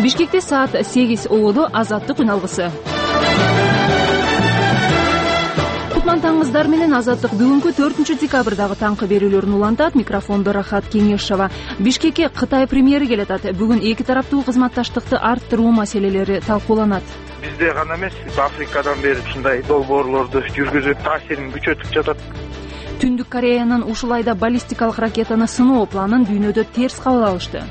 Бишкекте саат 8 болду. Азаттык күн алгысы. Кутман таңыңыздар менен Азаттык бүгүнкү 4 декабрдагы таңкы берүүлөрүн улантат. Микрофондо Рахат Кеңешова. Бишкекке Кытай премьери келатат. Бүгүн эки тараптуу кызматташтыкты арттыруу маселелери талкууланат. Бизде гана эмес, Африкадан бери ушундай долбоорлорду жүргүзүп таасирин күчөтүп жатат. Түндүк Кореянын ушул айда баллистикалык ракетаны сыноо планын дүйнөдө терс кабыл алышты.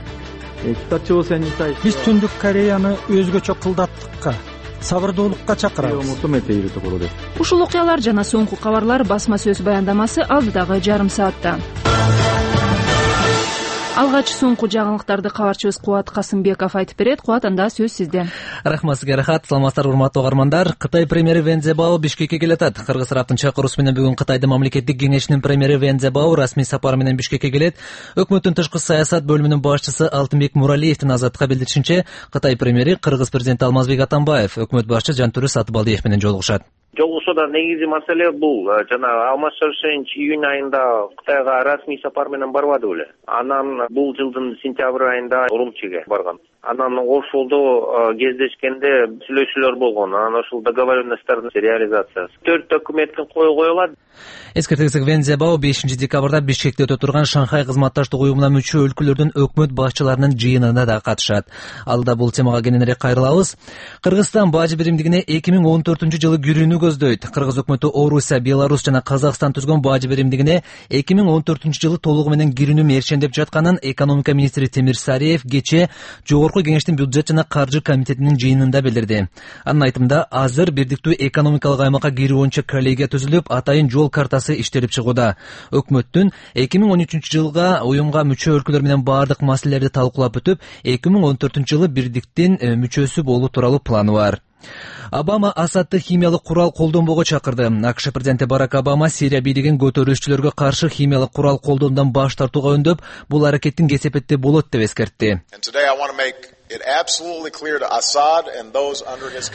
Биз Түндүк Кореяны өзгөчө кылдаттыкка, сабырдуулукка чакырабыз. Ушул окуялар жана соңку кабарлар басма сөз баяндамасы алдыдагы жарым саатта. Алгач соңку жаңылыктарды кабарчыбыз Кубат Касымбеков айтып берет. Кубат, анда сөз сизде. Рахмат сизге, Рахат. Саламатсыздар, урматтуу угармандар. Кытай премьери Вен Цзябао Бишкекке келатат. Кыргыз тараптын чакыруусу менен бүгүн Кытайдын мамлекеттик кеңешинин премьери Вен Цзябао расмий сапар менен Бишкекке келет. Өкмөттүн тышкы саясат бөлүмүнүн башчысы Алтынбек Муралиевдин Азаттыкка билдиришинче, Кытай премьери Кыргыз президенти Алмазбек Атамбаев, өкмөт башчы Жантөрө Сатыбалдиев менен жолугушат. Жолугушууда негизи маселе бул жана Алмаз Шаршевич июнь айында Кытайга расмий сапар менен барбады беле. Анан бул жылдын сентябрь айында Урумчиге барган. Анан ошолдо кездешкенде сүйлөшүүлөр болгон. Анан ошол договоренносттордун реализациясы 4 документтин коюлат. Эскертесек Вен Цзябао 5 декабрда Бишкекте өтө турган Шанхай кызматташтык уюмуна мүчө өлкөлөрдүн өкмөт башчыларынын жыйынына да катышат. Алда бул темага кененирээк кайрылабыз. Кыргызстан бажы биримдигине 2014-жылы кирүүнү көздөйт. Кыргыз өкмөтү Орусия, Беларусь жана Казакстан түзгөн бажы биримдигине 2014-жылы толугу менен кирүүнү мерчендеп жатканын экономика министри Темир Сариев кечээ Жогорку кеңештин бюджет жана каржы комитетинин жыйынында билдирди. Анын айтымында, азыр бирдиктүү экономикалык аймакка кирүү боюнча коллегия түзүлүп, атайын жол картасы иштелип чыгууда. Өкмөттүн 2013-жылга уюмга мүчө өлкөлөр менен баардык маселелерди талкуулап өтүп, 2014-жылы бирдиктин мүчөсү болуу тууралуу планы бар. Обама Асадты химиялык курал колдонбоого чакырды. АКШ президенти Барак Обама Сирия бийлигин көтөрүүчүлөргө каршы химиялык курал колдонуудан баш тартууга үндөп, бул аракеттин кесепетте болот деп эскертти.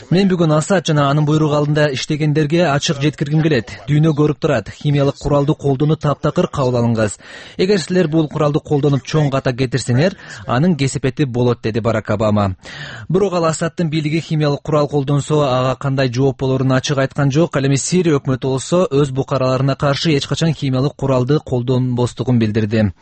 Мен бүгүн Асад жана анын буйругу алдында иштегендерге ачык жеткиргим келет. Дүйнө көрүп турат. Химиялык куралды колдонуу таптакыр кабыл алынгыз. Эгер силер бул куралды колдонуп чоң ката кетирсеңер, анын кесепети болот, деди Барак Обама. Бирок ал Асадтын бийлиги химиялык курал колдонсо ага кандай жооп болорун ачык айткан жок. Ал эми Сирия өкмөтү болсо өз букараларына каршы эч качан химиялык куралды колдонбостугун билдирди.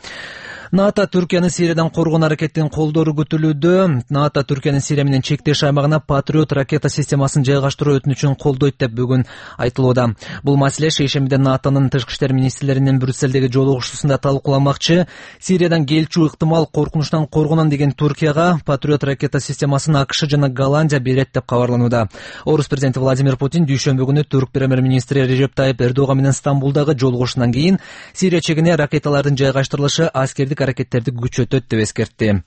НАТО Түркиянын Сириядан коргонуу аракетин колдоору күтүлүүдө. НАТО Түркиянын Сирия менен чектеш аймагына Патриот ракета системасын жайгаштыруу өтүнүчүн колдойт деп бүгүн айтылууда. Бул маселе шейшембиде НАТОнун тышкы иштер министрлеринин Брюссельдеги жолугушуусунда талкууланмакчы. Сириядан келчү ыктымал коркунучтан коргонон деген Туркияга Патриот ракета системасын АКШ жана Голландия берет деп кабарланууда. Орус президенти Владимир Путин дүйшөмбү күнү түрк премьер-министри Режеп Тайип Эрдоган менен Стамбулдагы жолугушуудан кийин Сирия чегине ракеталардын жайгаштырылышы аскердик аракеттерди күчөтөт деп эскертти.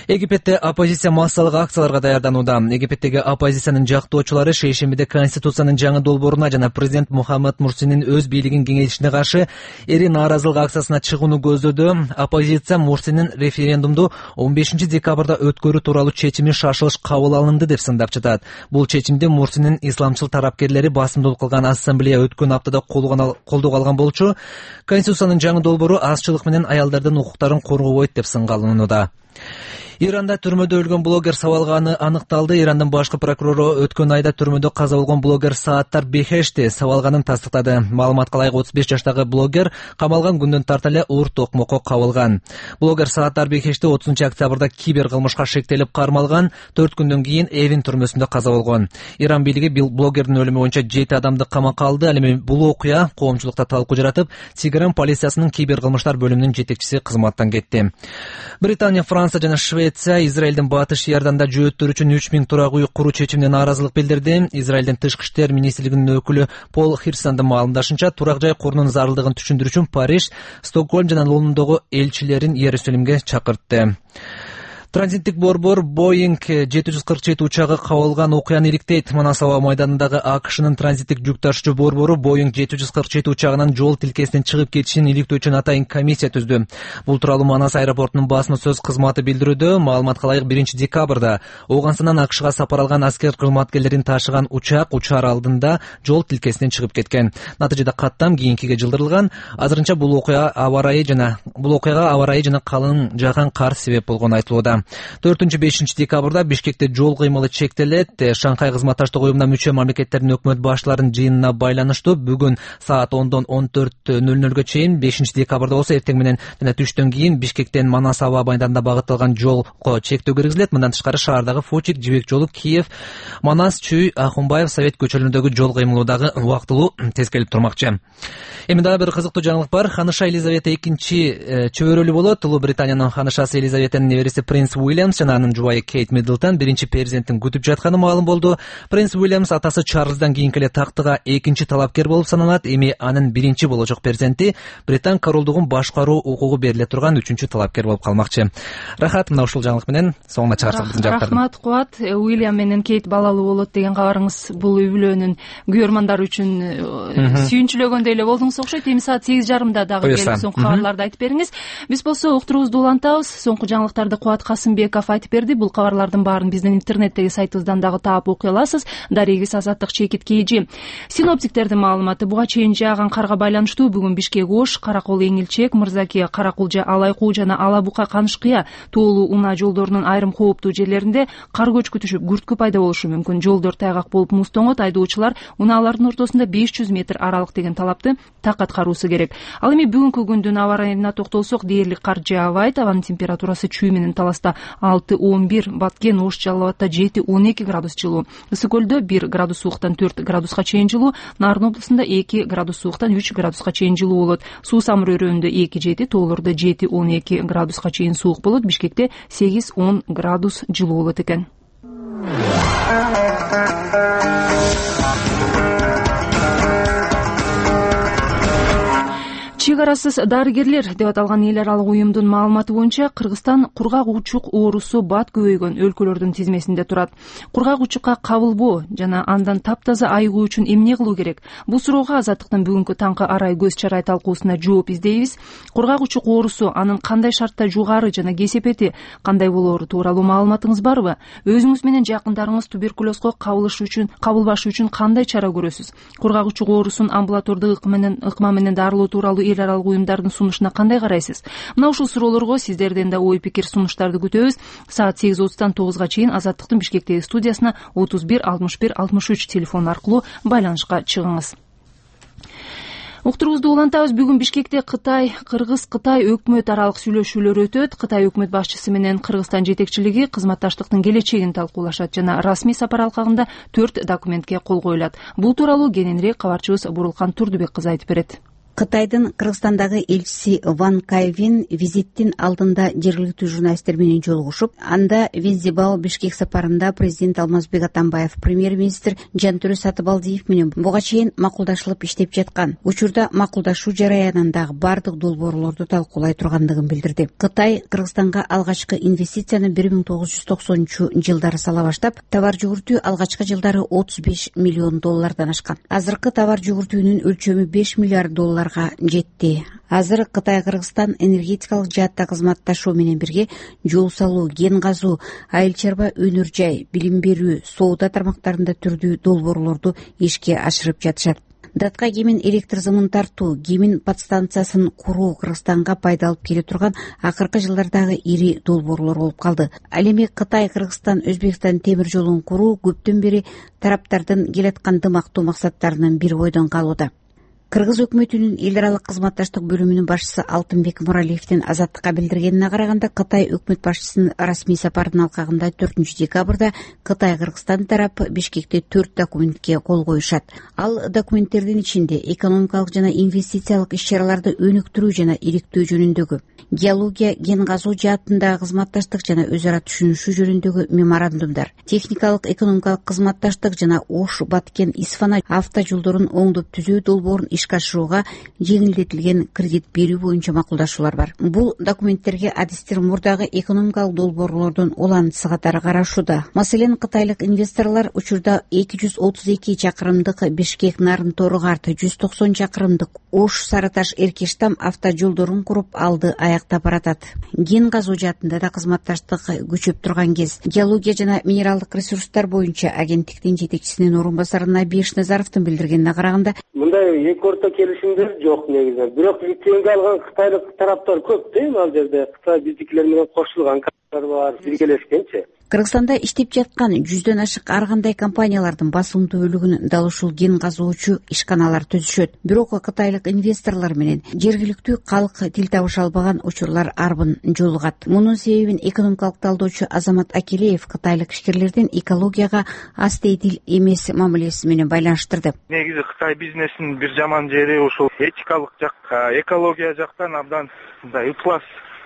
Египетте оппозиция массалык акцияларга даярданууда. Египеттеги оппозициянын жактоочулары шейшембиде Конституциянын жаңы долбооруна жана президент Мухаммад Мурсинин өз бийлигин кеңейтишине каршы эри нааразылык акциясына чыгууну көздөдү. Оппозиция Мурсинин референдумду 15 декабрда өткөрүү тууралуу чечими шашылыш кабыл алынды деп сындап жатат. Бул чечимди Мурсинин исламчыл тарапкерлери басымдуулук кылган ассамблея өткөн аптада колдоого алган болчу. Конституциянын жаңы долбоору азчылык менен аялдардын укуктарын коргобойт деп сынга алынууда. Иранда түрмөдө өлгөн блогер сабалганы аныкталды. Ирандын башкы прокурору өткөн айда түрмөдө каза болгон блогер Сааттар Бехешти сабалганын тастыктады. Маалыматка ылайык 35 жаштагы блогер камалган күндөн тарта эле оор токмокко кабылган. Блогер Сааттар Бехешти 30 октябрда кибер кылмышка шектелип кармалган. 4 күндөн кийин Эвин түрмөсүндө каза болгон. Иран бийлиги блогердин өлүмү боюнча 7 адамды камакка алды. Ал эми бул окуя коомчулукта талкуу жаратып, Тегеран полициясынын кибер кылмыштар бөлүмүнүн жетекчиси кызматтан кетти. Британия, Франция жана Швеция Израилдин батыш Иорданда жөөттөр үчүн 3000 турак үй куруу чечимине нааразылык билдирди. Израилдин тышкы иштер министрлигинин өкүлү Пол Хирсандын маалымдашынча, турак жай корунун зарылдыгын түшүндүрүү үчүн Париж, Стокгольм жана Лондондогу элчилерин Иерусалимге чакыртты. Транзиттик борбор Boeing 747 учагы кабылган окуяны иликтейт. Манас аба майданындагы АКШнын транзиттик жүк ташуучу борбору Boeing 747 учагынын жол тилкесинен чыгып кетишин иликтөө үчүн атайын комиссия түздү. Бул тууралуу Манас аэропортунун басма сөз кызматы билдирүүдө. Маалыматка ылайык 1 декабрда Ооганстандан АКШга сапар алган аскер кызматкерлерин ташыган учак учаар алдында жол тилкесинен чыгып кеткен. Натыйжада каттам кийинкиге жылдырылган. Азырынча бул окуяга аба ырайы жана калың жааган кар себеп болгону айтылууда. жана 4-5 декабрда Бишкекте жол кыймылы чектелет. Шанхай кызматташтык уюмуна мүчө мамлекеттердин өкмөт баштарынын жыйынына байланыштуу бүгүн саат 10-дон 14:00 чейин 5 декабрда болсо эртең менен жана түштөн кийин Бишкектен Манас аба майданына багытталган жолго чектөө киргизилет. Мындан тышкары шаардагы Фучик, Жибек жолу, Киев, Манас, Чүй, Ахунбаев, Совет көчөлөрүндөгү жол кыймылы дагы убактылуу тескелип турмакчы. Эми дагы бир кызыктуу жаңылык бар. Ханыша Елизавета 2 чөбөрөлүү болот. Улуу Британиянын ханышасы Елизаветанын небереси Принц Уильямс жана анын жубайы Кейт Миддлтон биринчи перзентин күтүп жатканы маалым болду. Принц Уильямс атасы Чарльздан кийинки эле тактыга экинчи талапкер болуп саналат. Эми анын биринчи болочок перзенти Британ королдугун башкаруу укугу бериле турган 3-талапкер болуп калмакчы. Рахат, мына ушул жаңылык менен соңуна чыгарсак биздин жактарды. Рахмат, Кубат. Уильям менен Кейт балалуу болот деген кабарыңыз бул үй бүлөнүн күйөрмандар үчүн сүйүнчүлөгөндөй эле болдуңуз окшойт. Эми саат 8:30 дагы келип соңку кабарларды айтып бериңиз. Биз болсо уктуруубузду улантабыз. Соңку жаңылыктарды Кубат Касымбеков айтып берди. Бул кабарлардын баарын биздин интернеттеги сайтыбыздан дагы таап окуй аласыз. Дарегиз Азаттык Чекит КЖ. Синоптиктердин маалыматы: буга чейин жааган карга байланыштуу бүгүн Бишкек Ош, Каракол Эңилчек, Мырзаке, Каракулжа, Алайкуу жана Алабука Канышкыя тоолуу унаа жолдорунун айрым кооптуу жерлеринде кар көчкү түшүп, күрткү пайда болушу мүмкүн. Жолдор тайгак болуп муз тоңот. Айдоочулар унаалардын ортосунда 500 метр аралык деген талапты так аткаруусу керек. Ал эми бүгүнкү күндүн аба ырайына токтолсок, дээрлик кар жаабайт. Абанын температурасы Чүй менен Таласта 6-11, Баткен, Ош, Жалал Абадта 7-12 градус жылуу, Ысык Көлдө 1 градус сууктан 4 градуска чейин жылуу, Нарын облусунда 2 градус сууктан 3 градуска чейин жылуу болот. Суу Самыр өрөөнүндө 2-7, тоолордо 7-12 градуска чейин суук болот. Бишкекте 8-10 градус жылуу болот экен. Чек арасыз дарыгерлер деп аталган эл аралык уюмдун маалыматы боюнча Кыргызстан кургак учук оорусу бат көбөйгөн өлкөлөрдүн тизмесинде турат. Кургак учукка кабылбоо жана андан таптаза айыгуу үчүн эмне кылуу керек? Бул суроого Азаттыктын бүгүнкү таңкы арай көз чарай талкуусуна жооп издейбиз. Кургак учук оорусу, анын кандай шартта жугары жана кесепети кандай болоору тууралуу маалыматыңыз барбы? Өзүңүз менен жакындарыңыз туберкулезго кабылбаш үчүн кандай чара көрөсүз? Кургак учук оорусун амбулатордук ыкма менен дарылоо тууралуу эл аралык уюмдардын сунушуна кандай карайсыз? Мына ушул суроолорго сиздерден да ой пикир сунуштарды күтөбүз. Саат 8:30-дан 9-га чейин Азаттыктын Бишкектеги студиясына 31 61 63 телефон аркылуу байланышка чыгыңыз. Уктуруубузду улантабыз. Бүгүн Бишкекте Кыргыз-Кытай өкмөт аралык сүйлөшүүлөр өтөт. Кытай өкмөт башчысы менен Кыргызстан жетекчилиги кызматташтыктын келечегин талкуулашат жана расмий сапар алкагында 4 документке кол коюлат. Бул тууралуу кененирээк кабарчыбыз Бурулкан Турдубек кызы айтып берет. Кытайдын Кыргызстандагы элчиси Ван Кайвин визиттин алдында жергиликтүү журналисттер менен жолугушуп, анда Вензибао Бишкек сапарында президент Алмазбек Атамбаев, премьер-министр Жантөрө Сатыбалдиев менен буга чейин макулдашылып иштеп жаткан. Учурда макулдашуу жараянындагы бардык долбоорлорду талкуулай тургандыгын билдирди. Кытай Кыргызстанга алгачкы инвестицияны 1990-жылдары сала баштап, товар жүгүртүү алгачкы жылдары $35 миллион ашкан. Азыркы товар жүгүртүүнүн өлчөмү $5 миллиард жетти. Азыр Кытай-Кыргызстан энергетикалык жаатта кызматташуу менен бирге жол салуу, кен казуу, айыл чарба өнөр жай, билим берүү, соода тармактарында түрдүү долбоорлорду ишке ашырып жатышат. Датка кемин электр зымын тартуу, кемин подстанциясын куруу Кыргызстанга пайда алып келе турган акыркы жылдардагы ири долбоорлор болуп калды. Ал эми Кытай, Кыргызстан, Өзбекстан темир жолун куруу көптөн бери тараптардын келаткан дымактуу максаттарынын бири бойдон калууда. Кыргыз өкмөтүнүн эл аралык кызматташтык бөлүмүнүн башчысы Алтынбек Муралиевдин Азаттыкка билдиргенине караганда, Кытай өкмөт башчысынын расмий сапарынын алкагында 4 декабрда Кытай-Кыргызстан тарапы Бишкекте 4 документке кол коюшат. Ал документтердин ичинде экономикалык жана инвестициялык иш-чараларды өнүктүрүү жана иликтөө жөнүндөгү, геология, кен казуу жаатындагы кызматташтык жана өз ара түшүнүшүү жөнүндөгү меморандумдар, техникалык экономикалык кызматташтык жана Ош, Баткен, Исфана авто жолдорун оңдоп түзөө долбоорун ишке ашырууга жеңилдетилген кредит берүү боюнча макулдашуулар бар. Бул документтерге адистер мурдагы экономикалык долбоорлордун улантысы катары карашууда. Маселен, кытайлык инвесторлор учурда 232 чакырымдык Бишкек-Нарын Тору-Карт, 190 чакырымдык Ош-Сарыташ-Эркештам авто жолдорун куруп алды аяктап баратат. Кен казуу жаатында да кызматташтык күчөп турган кез. Геология жана минералдык ресурстар боюнча агенттиктин жетекчисинин орун басары Набиш Назаровдун билдиргенине караганда, мындай эки орто келишимдер жок негизинен. Бирок лицензия алган кытайлык тараптар көп дейм ал жерде. Кытай биздикилер менен кошулган. бар, биргелешкенчи. Кыргызстанда иштеп жаткан 100дөн ашык ар кандай компаниялардын басымдуу бөлүгүн дал ушул кен казуучу ишканалар түзүшөт. Бирок кытайлык инвесторлор менен жергиликтүү калк тил табыша албаган учурлар арбын жолугат. Мунун себебин экономикалык талдоочу Азамат Акелеев кытайлык ишкерлердин экологияга аз тейдил эмес мамилеси менен байланыштырды. Негизи Кытай бизнесинин бир жаман жери ушул этикалык жак, экология жактан абдан мындай ыплас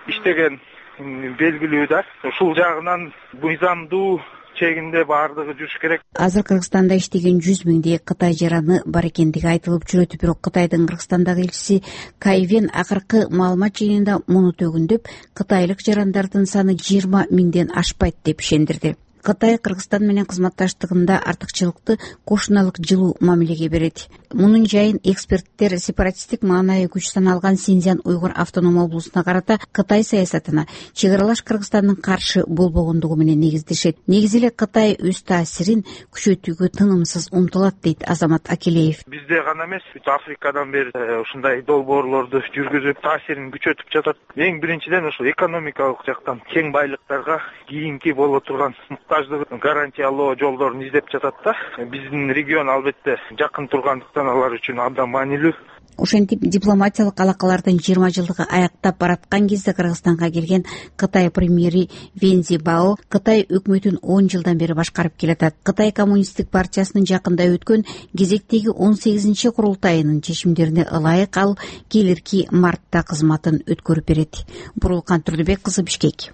иштеген белгилүү да. Ушул жагынан мыйзамдуу чегинде баардыгы жүрүш керек. Азыр Кыргызстанда иштеген 100 миңдей Кытай жараны бар экендиги айтылып жүрөт. Бирок Кытайдын Кыргызстандагы элчиси Кайвен акыркы маалымат жыйынында муну төгүндөп, кытайлык жарандардын саны 20 миңден ашпайт деп ишендирди. Кытай Кыргызстан менен кызматташтыгында артыкчылыкты кошуналык жылуу мамилеге берет. Мунун жайын эксперттер сепаратисттик маанайы күч саналган Синьцзян уйгур автоном облусуна карата Кытай саясатына чек аралаш Кыргызстандын каршы болбогондугу менен негиздешет. Негизи эле Кытай өз таасирин күчөтүүгө тынымсыз умтулат, дейт Азамат Акелеев. Бизде гана эмес, бүт Африкадан бери ушундай долбоорлорду жүргүзүп таасирин күчөтүп жатат. Эң биринчиден ушул экономикалык жактан кең байлыктарга кийинки боло турган гарантиялоо жолдорун издеп жатат да. Биздин регион албетте жакын тургандыктан алар үчүн абдан маанилүү. Ошентип дипломатиялык алакалардын 20 жылдыгы аяктап бараткан кезде Кыргызстанга келген Кытай премьери Вен Цзибао Кытай өкмөтүн 10 жылдан бери башкарып келатат. Кытай коммунисттик партиясынын жакында өткөн кезектеги 18-чи курултайынын чечимдерине ылайык ал келирки мартта кызматын өткөрүп берет. Бурулкан Турдубек кызы, Бишкек.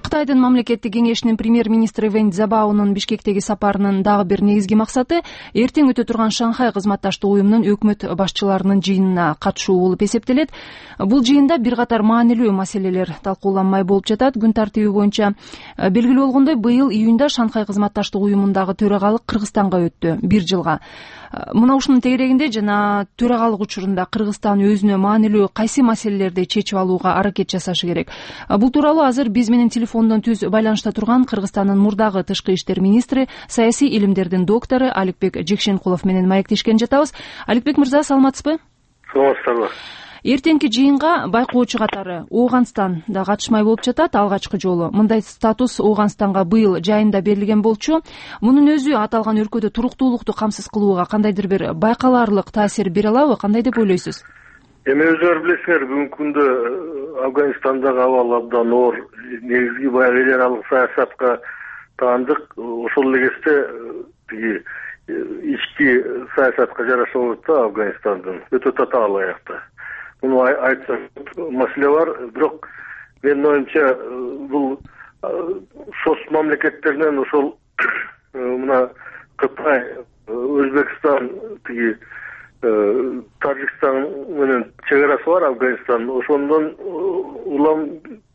Кытайдын мамлекеттик кеңешинин премьер-министри Вен Цзибаонун Бишкектеги сапарынын дагы бир негизги максаты эртең өтө турган Шанхай кызматташтык уюмунун өкмөт башчыларынын жыйынына катышуу болуп эсептелет. Бул жыйында бир катар маанилүү маселелер талкууланмай болуп жатат. Күн тартиби боюнча белгилүү болгондой, быйыл июнда Шанхай кызматташтык уюмундагы төрагалык Кыргызстанга өттү 1 жылга. Мына ушунун тегерегинде жана төрагалык учурунда Кыргызстан өзүнө маанилүү кайсы маселелерди чечип алууга аракет жасашы керек. Бул тууралуу азыр биз менен телефондон түз байланышта турган Кыргызстандын мурдагы тышкы иштер министри, саясий илимдердин доктору Аликбек Жекшенкулов менен маектешкен жатабыз. Аликбек мырза, саламатсызбы? Саламатсызбы. Эртеңки жыйынга байкоочу катары Ооганстан да катышмай болуп жатат алгачкы жолу. Мындай статус Ооганстанга быйыл жайында берилген болчу. Мунун өзү аталган өлкөдө туруктуулукту камсыз кылууга кандайдыр бир байкалаарлык таасир бере алабы? Кандай деп ойлойсуз? Эми өзүңөр билесиңер, бүгүнкү күндө Афганистандагы абал абдан оор. Негизги баягы эл аралык саясатка таандык. Ошол эле кезде тиги ички саясатка жараша болот да Афганистандын өтө татаал аякта. Муну айтса маселе бар, бирок менин оюмча бул соц мамлекеттеринен ошол мына Кытай, Өзбекстан, тиги Тажикстан менен чек арасы бар Афганистан. Ошондон улам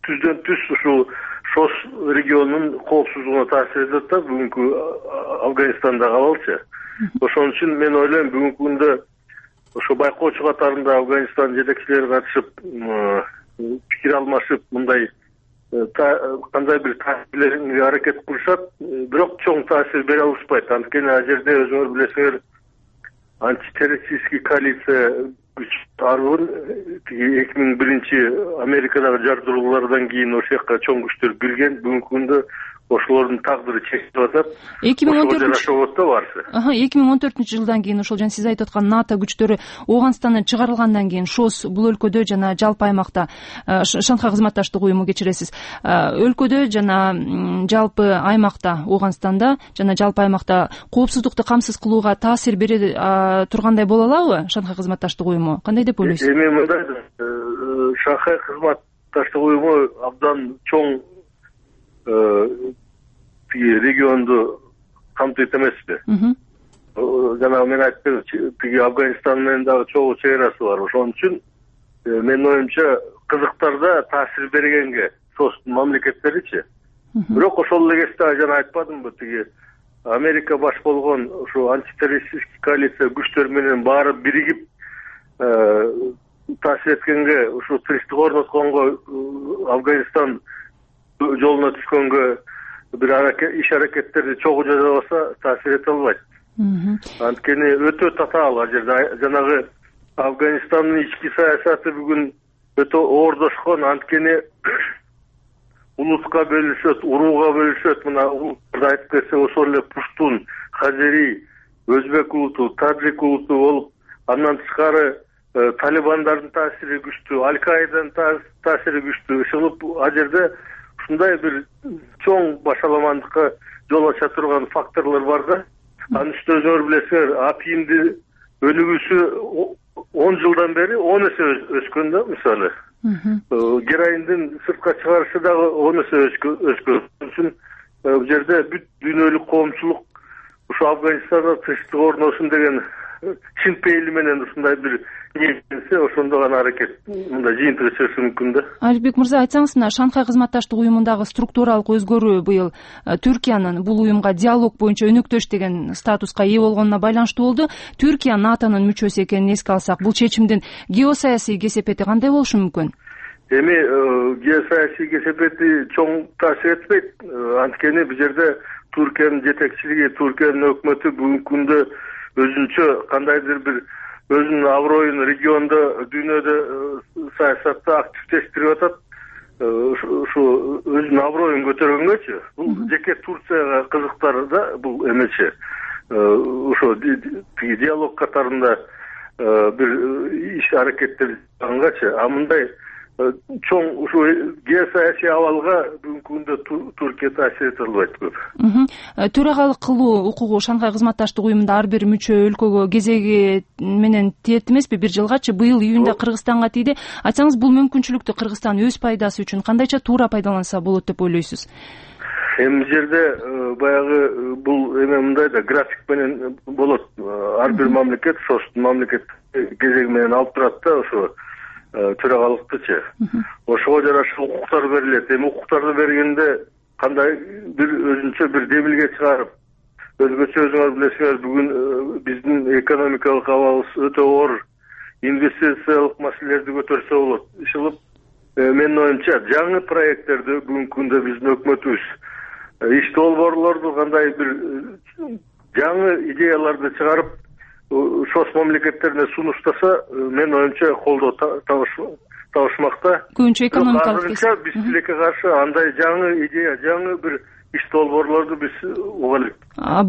түздөн түз ушул соц регионунун коопсуздугуна таасир этет да бүгүнкү Афганистандагы абалчы. Ошон үчүн мен ойлойм, бүгүнкү күндө ошо байкоочу катарында Афганистан жетекчилери катышып, пикир алмашып, мындай кандай бир таасирге аракет кылышат, бирок чоң таасир бере алышпайт. Анткени ал жерде өзүңөр билесиңер, антитеррористический коалиция күч арбын 2001 Америкадагы жардыруулардан кийин ошол жакка чоң күчтөр кирген. Бүгүнкү күндө ошолордун тагдыры чечилип атат. 2014-жылдан кийин ошол жана сиз айтып аткан НАТО күчтөрү Ооганстандан чыгарылгандан кийин ШОС бул өлкөдө жана жалпы аймакта Шанхай кызматташтык уюму, кечиресиз, өлкөдө жана жалпы аймакта Ооганстанда жана жалпы аймакта коопсуздукту камсыз кылууга таасир бере тургандай боло алабы Шанхай кызматташтык уюму? Кандай деп ойлойсуз? Эми мындай, Шанхай кызматташтык уюму абдан чоң регионду камтыйт эмеспи? Жана мен айттым, тиги Афганистан менен дагы чогуу чек арасы бар. Ошон үчүн менин оюмча кызыктарда таасир бергенге соц мамлекеттеричи. Бирок ошол эле кезде жана айтпадымбы, тиги Америка баш болгон ушу антитеррористический коалиция күчтөр менен баары биригип таасир эткенге, ушу тынчтык орнотконго, Афганистан жолуна түшкөнгө бир иш аракеттерди чогуу жасабаса таасир эте албайт. Анткени өтө татаал ал жерде. Жанагы Афганистандын ички саясаты бүгүн өтө оордошкон. Анткени улутка бөлүшөт, урууга бөлүшөт. Мына улуттарды айтып кетсек, ошол эле пуштун, хазери, өзбек улуту, таджик улуту болуп, андан тышкары талибандардын таасири күчтүү, Аль-Каиданын таасири күчтүү. Ошолуп ал жерде ушундай бир чоң башаламандыкка жол ача турган факторлор бар да. Анын үстүнө өзүңөр билесиңер, апийимдин өнүгүүсү 10 жылдан бери 10 эсе өскөн да, мисалы. Героиндин сыртка чыгарышы дагы 10 эсе өскөн. Үчүн бул жерде бүт дүйнөлүк коомчулук ушу Афганистанда тынчтык орношун деген чын пейили менен ушундай бир ниетенсе, ошондо гана аракет мындай жыйынтыгы чыгышы мүмкүн да. Аликбек мырза, айтсаңыз, мына Шанхай кызматташтык уюмундагы структуралык өзгөрүү быйыл Түркиянын бул уюмга диалог боюнча өнөктөш деген статуска ээ болгонуна байланыштуу болду. Түркия НАТОнун мүчөсү экенин эске алсак, бул чечимдин геосаясий кесепети кандай болушу мүмкүн? Эми геосаясий кесепети чоң таасир этпейт. Анткени бул жерде Түркиянын жетекчилиги, Түркиянын өкмөтү бүгүнкү күндө өзүнчө кандайдыр бир өзүнүн аброюн региондо, дүйнөдө саясатта активдештирип атат. Ушу өзүнүн аброюн көтөргөнгөчү, бул жеке Турцияга кызыктар да, бул эмечи. Ошо диалог катарында бир иш аракеттер жасагангачы, а мындай чоң ушу геосаясий абалга бүгүнкү күндө Түркия таасир эте албайт көп. Төрагалык кылуу укугу Шанхай кызматташтык уюмунда ар бир мүчө өлкөгө кезеги менен тиет эмеспи? Бир жылгачы быйыл июнда Кыргызстанга тийди. Айтсаңыз, бул мүмкүнчүлүктү Кыргызстан өз пайдасы үчүн кандайча туура пайдаланса болот деп ойлойсуз? Эми жерде баягы бул эме мындай да, график менен болот. Ар бир мамлекет ошол мамлекет кезеги менен алып турат да, ошо төрагалыктычы. Ошого жараша укуктар берилет. Эми укуктарды бергенде кандай бир өзүнчө бир демилге чыгарып, өзгөчө өзүңөр билесиңер, бүгүн биздин экономикалык абалыбыз өтө оор, инвестициялык маселелерди көтөрсө болот. Ишилип, менин оюмча, жаңы проекттерди бүгүнкү күндө биздин өкмөтүбүз иш долбоорлорду кандай бир жаңы идеяларды чыгарып шос мамлекеттерине сунуштаса, мен оюмча колдоо табышмакта. Көбүнчө экономикалык азырынча биз тилекке каршы андай жаңы идея, жаңы бир иш долбоорлорду биз уга элек.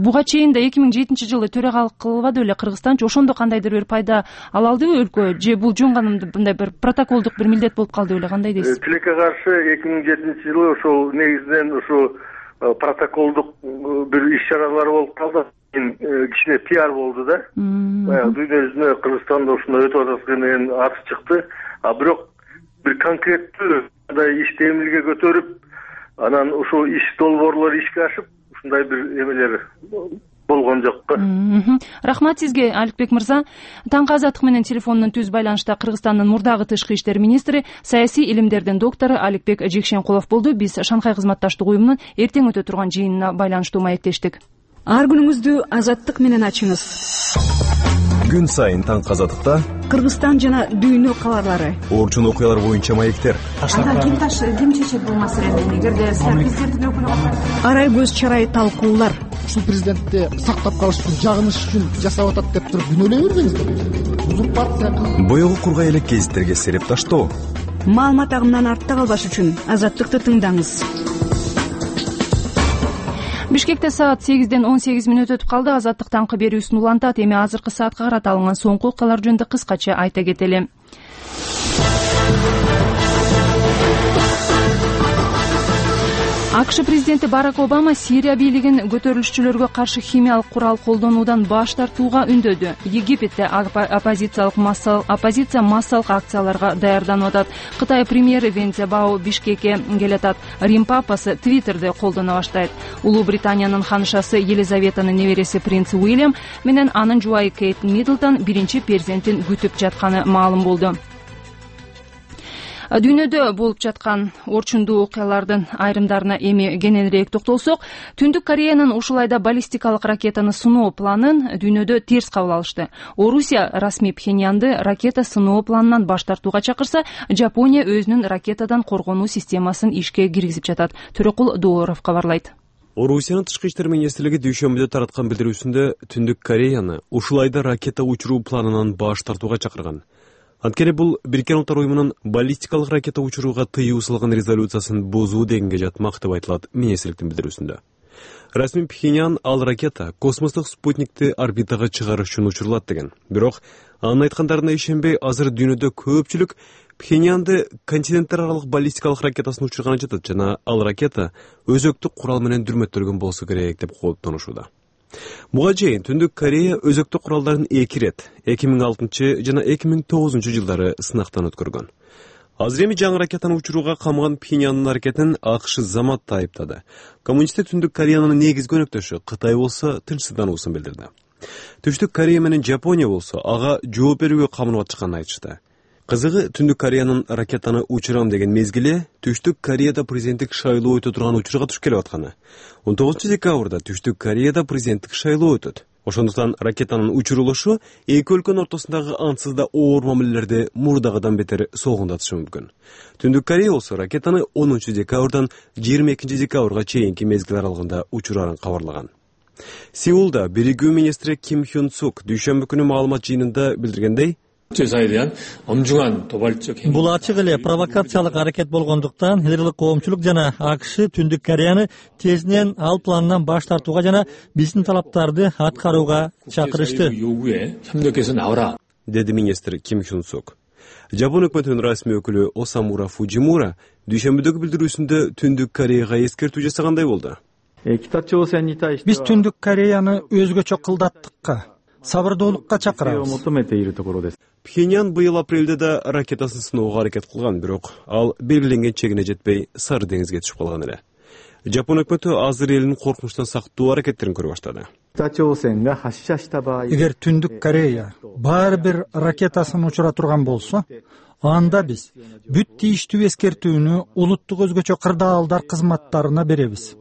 Буга чейин да 2007 жылы төрагалык кылбады беле Кыргызстанчы? Ошондо кандайдыр бир пайда ала алдыбы өлкө, же бул жөн гана мындай бир протоколдук бир милдет болуп калды беле? Кандай дейсиз? Тилекке каршы 2007 жылы ошол негизинен ушу протоколдук бир иш-чаралар болуп калды. Кичине пиар болду да. Дүйнө жүзүнө Кыргызстанда ушундай өтүп атат деген аты чыкты. А бирок бир конкреттүү мындай иш демилге көтөрүп, анан ушул иш долбоорлор ишке ашып, ушундай бир эмелер болгон жок. Рахмат сизге, Аликбек мырза. Таңкы азаттык менен телефондон түз байланышта Кыргызстандын мурдагы тышкы иштер министри, саясий илимдердин доктору Аликбек Жекшенкулов болду. Биз Шанхай кызматташтык уюмунун эртең өтө турган жыйынына байланыштуу маектештик. Ар күнүңүздү азаттык менен ачыңыз. Күн сайын таңкы азаттыкта Кыргызстан жана дүйнө кабарлары, орчун окуялар боюнча маектер. Ким чечет бул маселени? Эгерде президенттик өкүлү арай көз чарай талкуулар. Ушул президентти сактап калыш үчүн, жагыныш үчүн жасап атат деп туруп күнөөлөй бербеңиздер. Узурпация. Боёгу кургай элек гезиттерге сереп таштоо. Маалымат агымынан артта калбаш үчүн азаттыкты тыңдаңыз. Бишкекте саат 8ден 18 мүнөт өтүп калды. Азаттык таңкы берүүсүн улантат. Эми азыркы саатка карата алынган соңку окуялар жөнүндө кыскача айта кетели. АКШ президенти Барак Обама Сирия бийлигин көтөрүлүшчүлөргө каршы химиялык курал колдонуудан баш тартууга үндөдү. Египетте оппозиция массалык акцияларга даярданып атат. Кытай премьери Вен Цзябао Бишкекке келатат. Рим папасы Твиттерде колдоно баштайт. Улуу Британиянын ханышасы Елизаветанын небереси принц Уильям менен анын жубайы Кейт Миддлтон биринчи перзентин күтүп жатканы маалым болду. Дүйнөдө болуп жаткан орчундуу окуялардын айрымдарына эми кененирээк токтолсок, Түндүк Кореянын ушул айда баллистикалык ракетаны сыноо планын дүйнөдө терс кабыл алышты. Орусия расмий Пхеньянды ракета сыноо планынан баш тартууга чакырса, Жапония өзүнүн ракетадан коргонуу системасын ишке киргизип жатат. Төрөкул Дооров кабарлайт. Орусиянын тышкы иштер министрлиги дүйшөмбүдө тараткан билдирүүсүндө Түндүк Кореяны ушул айда ракета учуруу планынан баш тартууга чакырган. Анткени бул Бириккен Улуттар уюмунун баллистикалык ракета учурууга тыюу салган резолюциясын бузуу дегенге жатмак деп айтылат министрликтин билдирүүсүндө. Расмий Пхеньян ал ракета космостук спутникти орбитага чыгарыш үчүн учурулат деген. Бирок анын айткандарына ишенбей, азыр дүйнөдө көпчүлүк Пхеньянды континенттер аралык баллистикалык ракетасын учурганы жатат жана ал ракета өзөктүк курал менен дүрмөттөлгөн болсо керек деп кооптонушууда. Буга чейин Түндүк Корея өзөктүк куралдарын 2 рет 2006 жана 2009 жылдары сынактан өткөргөн. Азыр эми жаңы ракетаны учурууга камган Пхеньяндын аракетин АКШ заматта айыптады. Коммунисттик Түндүк Кореянын негизги өнөктөшү Кытай болсо тынчсыздануусун билдирди. Түштүк Корея менен Жапония болсо ага жооп берүүгө камынып атышканын айтышты. Кызыгы, Түндүк Кореянын ракетаны учурам деген мезгили Түштүк Кореяда президенттик шайлоо өтө турган учурга туш келип атканы. 19 декабрда Түштүк Кореяда президенттик шайлоо өтөт. Ошондуктан ракетанын учурулушу эки өлкөнүн ортосундагы ансыз да оор мамилелерди мурдагыдан бетер солгундатышы мүмкүн. Түндүк Корея болсо ракетаны 10 декабрдан 22 декабрга чейинки мезгил аралыгында учурарын кабарлаган. Сеулда биригүү министри Ким Хён Сук дүйшөмбү күнү маалымат жыйынында билдиргендей, бул ачык эле провокациялык аракет болгондуктан элдик коомчулук жана АКШ Түндүк Кореяны тезинен ал планынан баш тартууга жана биздин талаптарды аткарууга чакырышты, деди министр Ким Хён Сук. Жапон өкмөтүнүн расмий өкүлү Осамура Фуджимура дүйшөмбүдөгү билдирүүсүндө Түндүк Кореяга эскертүү жасагандай болду. Биз Түндүк Кореяны өзгөчө кылдаттыкка, сабырдуулукка чакырабыз. Пхеньян быйыл апрелде да ракетасын сыноого аракет кылган, бирок ал белгиленген чегине жетпей Сары деңизге түшүп калган эле. Жапон өкмөтү азыр элин коркунучтан сактоо аракеттерин көрө баштады. Эгер Түндүк Корея баары бир ракетасын учура турган болсо, анда биз бүт тийиштүү эскертүүнү улуттук өзгөчө кырдаалдар кызматтарына беребиз.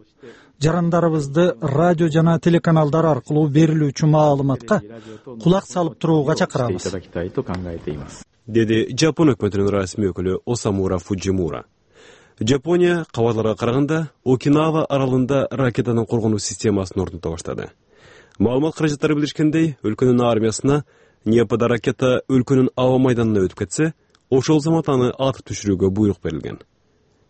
Жарандарыбызды радио жана телеканалдар аркылуу берилүүчү маалыматка кулак салып турууга чакырабыз, деди Жапон өкмөтүнүн расмий өкүлү Осамура Фуджимура. Жапония кабарларга караганда Окинава аралында ракетанын коргонуу системасын орнута баштады. Маалымат каражаттары билдиришкендей, өлкөнүн армиясына Непада ракета өлкөнүн аба майданына өтүп кетсе, ошол замат аны атып түшүрүүгө буйрук берилген.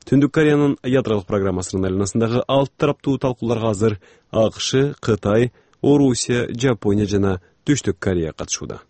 Түндүк Кореянын ядролук программасынын айланасындагы 6 тараптуу талкууларга азыр АКШ, Кытай, Орусия, Жапония жана Түштүк Корея катышууда.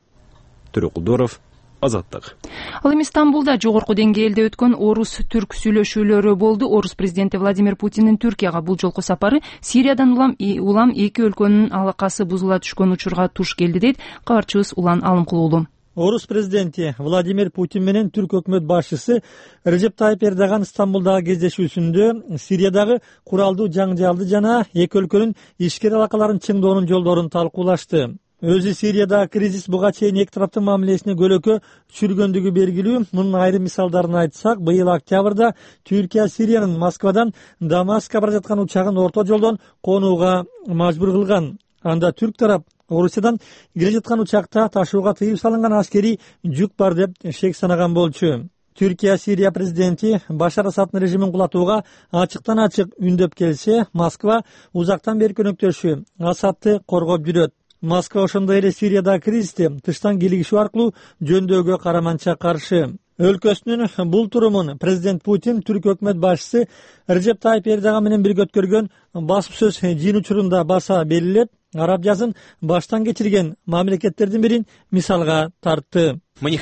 Төрөкулдоров, Азаттык. Ал эми Стамбулда жогорку деңгээлде өткөн орус-түрк сүйлөшүүлөрү болду. Орус президенти Владимир Путиндин Түркияга бул жолку сапары Сириядан улам эки өлкөнүн алакасы бузула түшкөн учурга туш келди, дейт кабарчыбыз Улан Алымкулуулу. Орус президенти Владимир Путин менен түрк өкмөт башчысы Режеп Тайып Эрдоган Стамбулдагы кездешүүсүндө Сириядагы куралдуу жаңжалды жана эки өлкөнүн ишкер алакаларын чыңдоонун жолдорун талкуулашты. Өзү Сириядагы кризис буга чейин эки тараптын мамилесине көлөкө түшүргөндүгү белгилүү. Мунун айрым мисалдарын айтсак, быйыл октябрда Түркия Сириянын Москвадан Дамаскка бара жаткан учагын орто жолдон конууга мажбур кылган. Анда түрк тарап Орусиядан келе жаткан учакта ташууга тыюу салынган аскерий жүк бар деп шек санаган болчу. Түркия Сирия президенти Башар Асаддын режимин кулатууга ачыктан ачык үндөп келсе, Москва узактан бери өнөктөшү Асадды коргоп жүрөт. Москва ошондой эле Сириядагы кризисти тыштан кийлигишүү аркылуу жөндөөгө караманча каршы. Өлкөсүнүн бул турумун президент Путин түрк өкмөт башчысы Режеп Тайып Эрдоган менен бирге өткөргөн басып сөз жыйын учурунда баса белгилеп, араб жазын баштан кечирген мамлекеттердин бирин мисалга тартты. Биз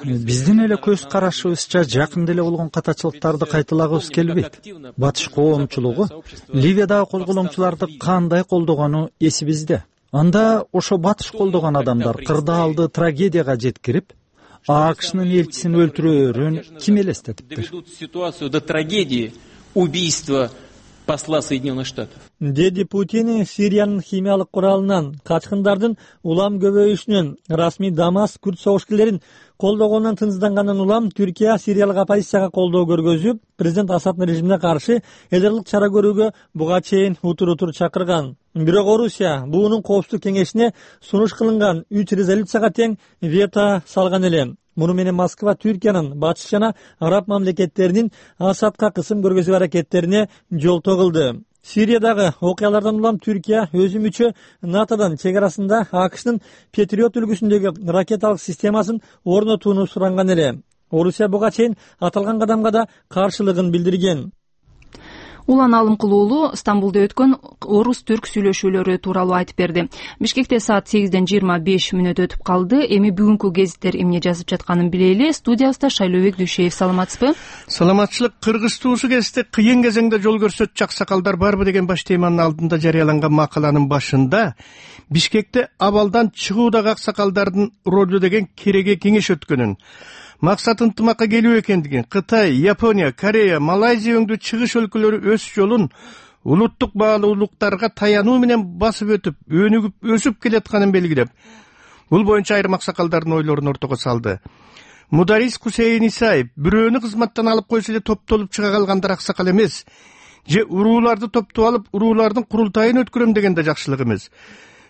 биздин эле көз карашыбызча жакында эле болгон катачылыктарды кайталагыбыз келбейт. Батыш коомчулугу Ливиядагы козголоңчуларды кандай колдогону эсибизде. Анда ошо батыш колдогон адамдар кырдаалды трагедияга жеткирип, АКШнын элчисин өлтүрөөрүн ким элестетиптир? посла Соединенных Штатов. Деди Путин Сириянын химиялык куралынан, качкындардын улам көбөйүшүнөн, расмий Дамаск күрд согушкерлерин колдогонунан тынчсыздангандан улам Түркия Сириялык оппозицияга колдоо көргөзүп, президент Асаддын режимине каршы элдерлик чара көрүүгө буга чейин утур чакырган. Бирок Орусия буунун коопсуздук кеңешине сунуш кылынган 3 резолюцияга тең вето салган эле. Муну менен Москва Түркиянын батыш жана араб мамлекеттеринин Асадка кысым көргөзүү аракеттерине жолтоо кылды. Сириядагы окуялардан улам Түркия өзү мүчө НАТОдон чек арасында АКШнын Патриот үлгүсүндөгү ракеталык системасын орнотууну суранган эле. Орусия буга чейин аталган кадамга да каршылыгын билдирген. Улан Алымкулуулу Стамбулда өткөн орус-түрк сүйлөшүүлөрү тууралуу айтып берди. Бишкекте саат 8:25 өтүп калды. Эми бүгүнкү гезиттер эмне жазып жатканын билели. Студиябызда Шайлообек Дүйшеев, саламатсызбы? Саламатчылык. Кыргыз туусу кезде кыйын кезеңде жол көрсөтчү аксакалдар барбы деген баш теманын алдында жарыяланган макаланын башында Бишкекте абалдан чыгуудагы аксакалдардын ролу деген кереге кеңеш өткөнүн, максат ынтымакка келүү экендигин, Кытай, Япония, Корея, Малайзия өңдүү чыгыш өлкөлөрү өз жолун улуттук баалуулуктарга таянуу менен басып өтүп, өнүгүп өсүп келатканын белгилеп, бул боюнча айрым аксакалдардын ойлорун ортого салды. Мударис Хусейин Исаев бирөөнү кызматтан алып койсо эле топтолуп чыга калгандар аксакал эмес, же урууларды топтоп алып уруулардын курултайын өткөрөм деген да жакшылык эмес.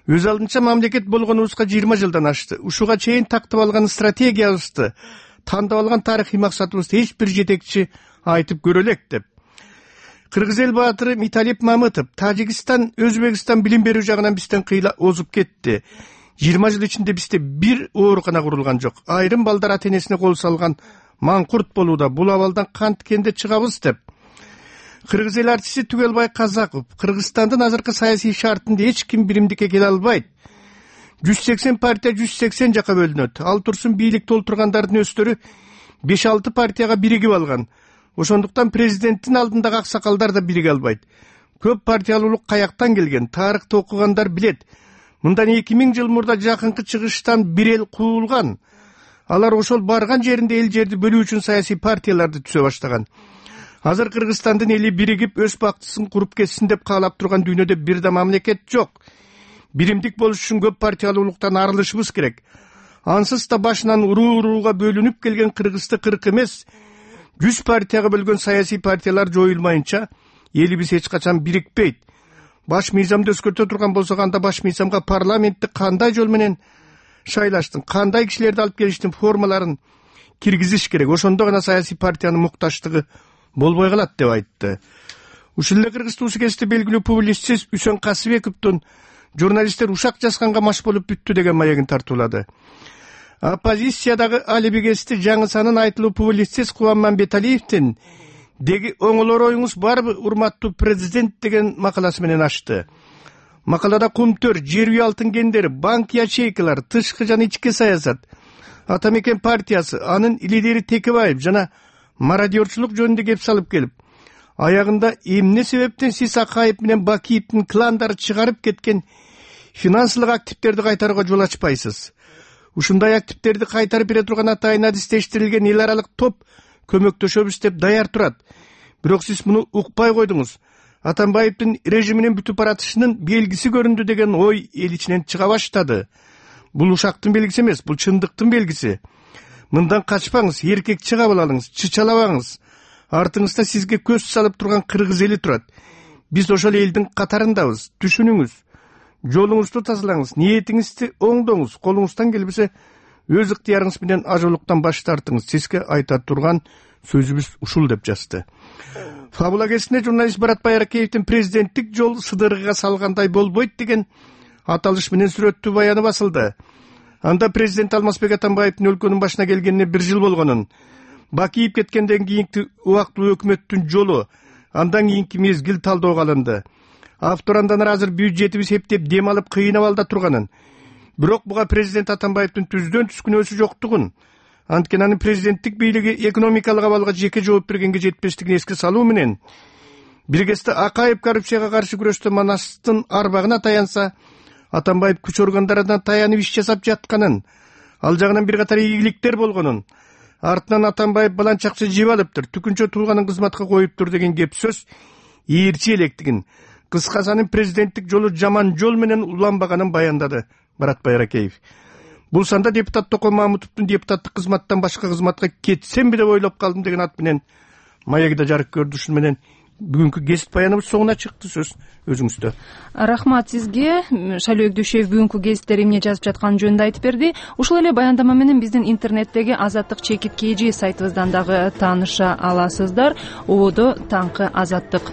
Өз алдынча мамлекет болгонубузга 20 жылдан ашты. Ушуга чейин тактап алган стратегиябызды, тандап алган тарыхый максатыбызды эч бир жетекчи айтып көрө элек деп. Кыргыз эл баатыры Миталип Мамытов, Тажикстан, Өзбекстан билим берүү жагынан бизден кыйла озуп кетти. 20 жыл ичинде бизде бир оорукана курулган жок. Айрым балдар ата-энесине кол салган маңкурт болууда. Бул абалдан канткенде чыгабыз деп. Кыргыз эл артисти Түгелбай Казаков, Кыргызстандын азыркы саясий шартында эч ким биримдикке келе албайт. 180 партия 180 жака бөлүнөт. Ал турсун бийлик толтургандардын өздөрү 5-6 партияга биригип алган. Ошондуктан президенттин алдындагы аксакалдар да бириге албайт. Көп партиялуулук каяктан келген, тарыхты окугандар билет. Мындан 2000 жыл мурда жакынкы чыгыштан бир эл куулган. Алар ошол барган жеринде эл жерди бөлүү үчүн саясий партияларды түзө баштаган. Азыр Кыргызстандын эли биригип өз бактысын куруп кетсин деп каалап турган дүйнөдө бир да мамлекет жок. Биримдик болуш үчүн көп партиялуулуктан арылышыбыз керек. Ансыз да башынан уруу-урууга бөлүнүп келген Кыргызды 40 эмес, 100 партияга бөлгөн саясий партиялар жоюлмайынча элибиз эч качан бирикпейт. Баш мыйзамды өзгөртө турган болсок, анда баш мыйзамга парламентти кандай жол менен шайлаштын, кандай кишилерди алып келиштин формаларын киргизиш керек. Ошондо гана саясий партиянын муктаждыгы болбой калат деп айтты. Ушул эле Кыргыз туусу кезде белгилүү публицист Үсөн Касыбековдун журналисттер ушак жазганга маш болуп бүттү деген маегин тартуулады. Оппозициядагы алибигести жаңы санын айтылуу публицист Кубан Мамбеталиевдин деги оңолор оюңуз барбы, урматтуу президент деген макаласы менен ачты. Макалада кумтөр, жер үй алтын кендери, банк ячейкалар, тышкы жана ички саясат, Атамекен партиясы, анын лидери Текебаев жана мародерчулук жөнүндө кеп салып келип, аягында эмне себептен сиз Акаев менен Бакиевдин кландары чыгарып кеткен финансылык активдерди кайтарууга жол ачпайсыз. Ушундай активдерди кайтарып бере турган атайын адистештирилген эл аралык топ көмөктөшөбүз деп даяр турат. Бирок сиз муну укпай койдуңуз. Атамбаевдин режиминин бүтүп баратышынын белгиси көрүндү деген ой эл ичинен чыга баштады. Бул ушактын белгиси эмес, бул чындыктын белгиси. Мындан качпаңыз, эркек чыга алыңыз, чычалабаңыз. Артыңызда сизге көз салып турган кыргыз эли турат. Биз ошол элдин катарындабыз. Түшүнүңүз. Жолуңузду тазалаңыз, ниетиңизди оңдоңуз. Колуңуздан келбесе өз ыктыярыңыз менен ажолуктан баш тартыңыз. Сизге айта турган сөзүбүз ушул деп жазды. Фабула кезинде журналист Барат Байракеевдин президенттик жол сыдыргыга салгандай болбойт деген аталыш менен сүрөттүү баяны басылды. Анда президент Алмазбек Атамбаевдин өлкөнүн башына келгенине 1 жыл болгонун, Бакиев кеткенден кийинки убактылуу өкмөттүн жолу, андан кийинки мезгил талдоого алынды. Автор андан азыр бюджетибиз эптеп дем алып кыйнап алда турганын, бирок буга президент Атамбаевдин түздөн түз күнөөсү жоктугун, анткени анын президенттик бийлиги экономикалык абалга жеке жооп бергенге жетпештигин эске салуу менен бир кезде Акаев коррупцияга каршы күрөштө Манастын арбагына таянса, Атамбаев күч органдарына таянып иш жасап жатканын, ал жагынан бир катар ийгиликтер болгонун, артынан Атамбаев баланч акча жеп алыптыр, түкүнчө тууганын кызматка коюптур деген кеп сөз ээрчи электигин, кыскасы анын президенттик жолу жаман жол менен уланбаганын баяндады Барат Байракеев. Бул санда депутат Токон Мамутовдун депутаттык кызматтан башка кызматка кетсемби деп ойлоп калдым деген ат менен маегиде жарык көрдү. Ушун менен бүгүнкү гезит баяныбыз соңуна чыкты. Сөз өзүңүздө. Рахмат сизге. Шайлоо Өкдөшев бүгүнкү гезиттер эмне жазып жатканы жөнүндө айтып берди. Ушул эле баяндама менен биздин интернеттеги Азаттык чекит KG сайтыбыздан дагы тааныша аласыздар. Ободо таңкы Азаттык